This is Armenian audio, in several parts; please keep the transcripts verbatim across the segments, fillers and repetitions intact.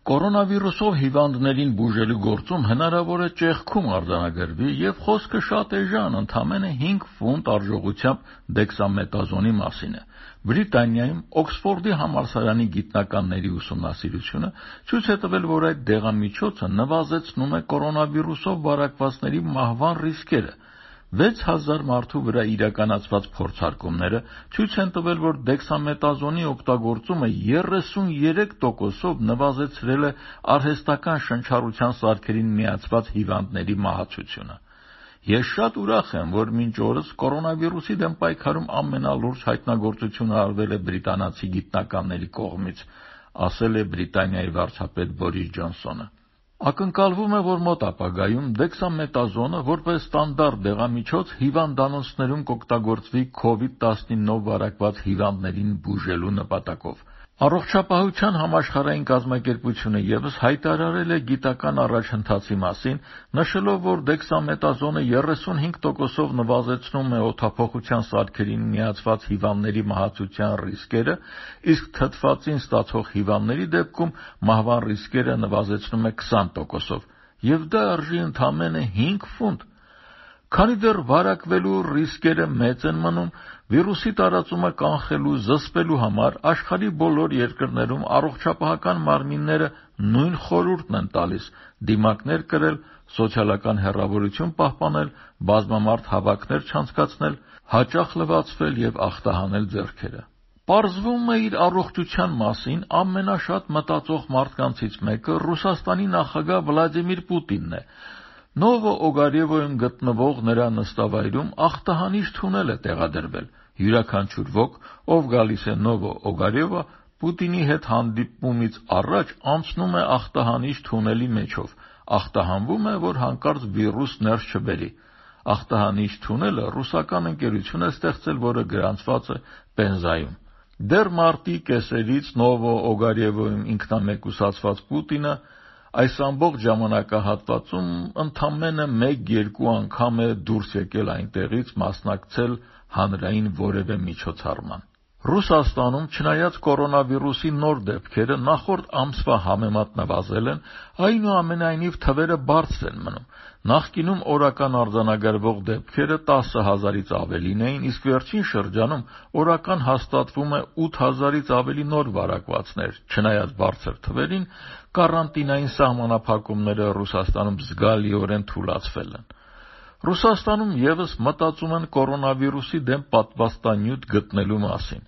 Կորոնավիրուսով հիվանդներին բուժելու գործում հնարավոր է ճեղքում արձանագրվի և խոսքը շատ էժան, ընդամենը հինգ ֆունտ արժողությամբ դեքսամետազոնի մասին է։ Բրիտանիայում Օքսֆորդի համալսարանի գիտնականների ուսումնասիրությունը ցույց է տվել, որ այդ դեղամիջոցը նվազեցնում է կորոնավիրուսով վարակվածների մահվան ռիսկերը։ վեց հազար մարդու վրա իրականացված փորձարկումները ցույց են տվել, որ դեքսամետազոնի օգտագործումը երեսուներեք տոկոսով նվազեցրել է արհեստական շնչառության սարքերին միացված հիվանդների մահացությունը։ Ես շատ ուրախ եմ, որ մինչ օրս կորոնավիրուսի դեմ պայքարում ամենալուրջ հայտնագործությունը արվել է բրիտանացի գիտնականների կողմից, ասել է Բրիտանիայի վարչապետ Բորիս Ջոնսոնը։ Ակնկալվում է, որ մոտ ապագայում դեքսամետազոնը որպես ստանդարտ դեղամիջոց հիվանդանոցներում կօգտագործվի քովիդ տասնինով վարակված հիվանդներին բուժելու նպատակով։ Առողջապահության համաշխարհային կազմակերպությունը ևս հայտարարել է գիտական առաջընթացի մասին, նշելով, որ դեքսամետազոնը երեսունհինգ տոկոսով նվազեցնում է օդափոխության սարքերին միացված հիվանդների մահացության ռիսկերը, իսկ թթվածին ստացող հիվանդների դեպքում մահվան ռիսկերը նվազեցնում է քսան տոկոսով, և դա արժի ընդամենը հինգ ֆունտ։ Քանի դեռ վարակվելու ռիսկերը մեծ են մնում, վիրուսի տարածումը կանխելու, զսպելու համար աշխարհի բոլոր երկրներում առողջապահական մարմինները նույն խորհուրդն են տալիս՝ դիմակներ կրել, սոցիալական հեռավորություն պահպանել, բազմամարդ հավաքներ չանցկացնել, հաճախ լվացվել և ախտահանել ձեռքերը։ Պարզվում է, իր առողջության մասին ամենաշատ մտածող մարդկանցից մեկը Ռուսաստանի նախագահ Վլադիմիր Պուտինն է։ Նովո Օգարևոյում գտնվող նրա նստավայրում ախտահանիչ թունել է տեղադրվել։ Յուրաքանչյուր ոք, ով գալիս է Նովո Օգարևո, Պուտինի հետ հանդիպումից առաջ անցնում է ախտահանիչ թունելի միջով, ախտահանվում է, որ հանկարծ վիրուս ներս չբերի։ Ախտահանիչ թունելը ռուսական ընկերություն է ստեղծել, որը գրանցված է Պենզայում։ Դեռ մարտի կեսերից Նովո Օգարևոյում ինքնամեկուսացված Պուտինը այս ամբողջ ժամանակահատվածում ընդամենը մեկ-երկու անգամ է դուրս եկել այնտեղից մասնակցել հանրային որևէ միջոցառման։ Ռուսաստանում, չնայած կորոնավիրուսի նոր դեպքերը նախորդ ամսվա համեմատ նվազել են, այնուամենայնիվ թվերը բարձր են մնում։ Նախկինում օրական արձանագրվող դեպքերը տասը հազարից ավելին էին, իսկ վերջին շրջանում օրական հաստատվում է ութ հազարից ավելի նոր վարակվածներ։ Չնայած բարձր թվերին, կարանտինային սահմանափակումները Ռուսաստանում զգալիորեն թուլացվել են։ Ռուսաստանում ևս մտածում են կորոնավիրուսի դեմ պատվաստանյութ գտնելու մասին։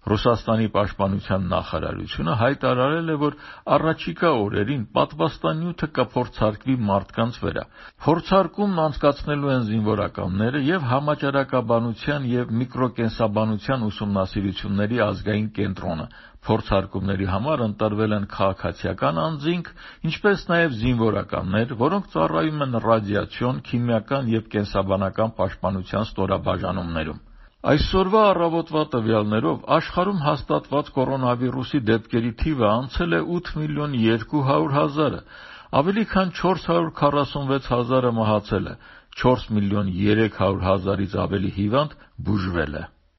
Ռուսաստանի պաշտպանության նախարարությունը հայտարարել է, որ առաջիկա օրերին պատվաստանյութը կփորձարկվի մարդկանց վրա։ Փորձարկումն անցկացնելու են զինվորականները և Համաճարակաբանության և միկրոկենսաբանության ուսումնասիրությունների ազգային կենտրոնը։ Փորձարկումների համար ընտրվել են քաղաքացիական անձինք, ինչպես նաև զինվորականներ, որոնք ծառայում են ռադիացիոն, քիմիական և կենսաբանական պաշտպանության ստորաբաժանումներում։ Այսօրվա առավոտվա տվյալներով աշխարհում հաստատված կորոնավիրուսի դեպքերի թիվը անցել է ութ միլիոն երկու հարյուր հազարը, ավելի քան չորս հարյուր քառասունվեց հազարը մահացել է, չորս միլիոն երեք հարյուր հազարից ավելի հիվանդ բուժվել է։